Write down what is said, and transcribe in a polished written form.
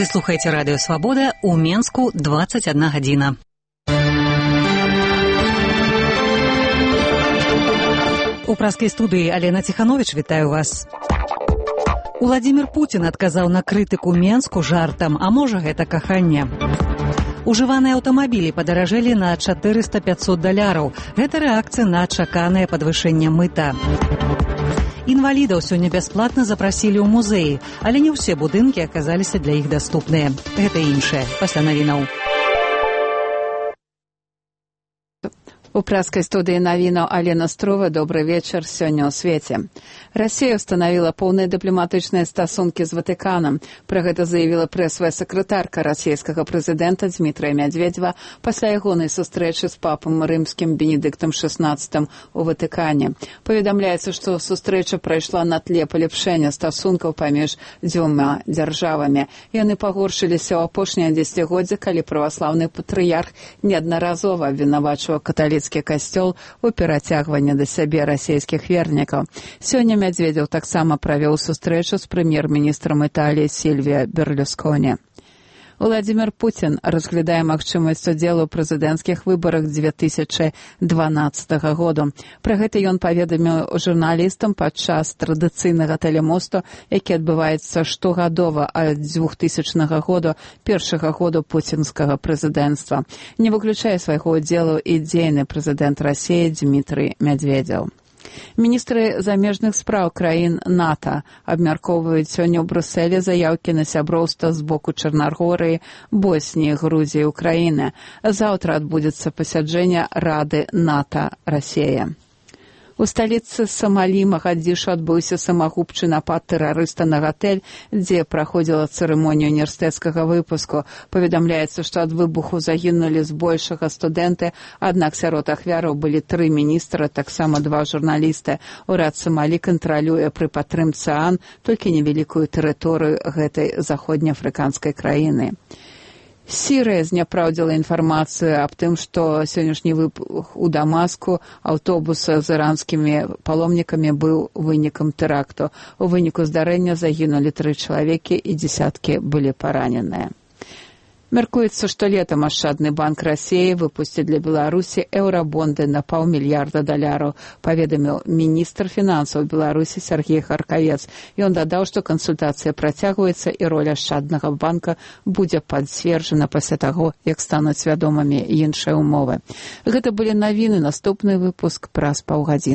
Вы слухаеце радыё Свабода, у Менску 21 гадзіна. У праскай студыі Алена Ціхановіч, вітаю вас. Уладзімір Пуцін адказаў на крытыку Менску жартам, а можа гэта каханне. Ужываныя аўтамабілі падаражэлі на $400–500. Гэта рэакцыя на чаканае падвышэнне мыта. Інвалідаў сёння бясплатна запрасілі ў музеі, але не ўсе будынкі аказаліся для іх даступныя. Гэта іншае. Пасля навінаў. У праскай студыі навінаў Алена Струва. Добры вечар. Сёння ў свеце. Расія ўстанавіла поўныя дыпламатычныя стасункі з Ватыканам. Пра гэта заявіла прэсавая сакратарка расійскага прэзідэнта Дмітрыя Мядзведзева пасля ягонай сустрэчы з папам рымскім Бенедыктам XVI у Ватыкане. Паведамляецца, што сустрэча прайшла на тле паляпшэння стасункаў паміж дзвюма дзяржавамі. Яны пагоршыліся ў апошняе дзесяцігоддзе, калі праваслаўны патрыярх неаднаразова абвінавачваў каталіцкі касцёл у перацягванні да сябе расійскіх вернікаў. Сёння Мядзведзеў таксама правёў сустрэчу з прэм'ер-міністрам Італіі Сільвіа Берлюсконі. Уладзімір Пуцін разглядае магчымасць удзелу ў прэзідэнцкіх выбарах 2012 году. Пра гэта ён паведаміў журналістам падчас традыцыйнага тэлемосту, які адбываецца штогадова ад 2000 году, першага году пуцінскага прэзідэнцтва. Не выключае свайго ўдзелу і дзейны прэзідэнт Расіі Дмітрый Мядзведзеў. Міністры замежных спраў краін НАТО абмяркоўваюць сёння ў Брусэлі заяўкі на сяброўства з боку Чарнагорыі, Босніі, Грузіі, Украіны. Заўтра адбудзецца пасяджэнне Рады НАТО-Расія. У сталіцы Самалі Магадзішу адбыўся самагубчы напад тэрарыста на гатэль, дзе праходзіла цырымонія універсітэцкага выпуску. Паведамляецца, што ад выбуху загінулі збольшага студэнты, аднак сярод ахвяраў былі 3 міністра, таксама 2 журналісты. Урад Самалі кантралюе пры падтрымцы ААН толькі невялікую тэрыторыю гэтай заходнеафрыканскай краіны. Сірыя зняпраўдзіла інфармацыю аб тым, што сённяшні выбух у Дамаску аўтобуса з іранскімі паломнікамі быў вынікам тэракту. У выніку здарэння загінулі 3 чалавекі і дзесяткі былі параненыя. Мяркуецца, што летам Ашчадны банк Расіі выпусціць для Беларусі еўрабонды на $500 мільярда, паведаміў міністр фінансаў Беларусі Сергей Харкавец. Ён дадаў, што кансультацыя працягваецца і роля Ашчаднага банка будзе пацверджана пасля таго, як стануць вядомымі іншыя ўмовы. Гэта былі навіны, наступны выпуск праз паўгадзіны.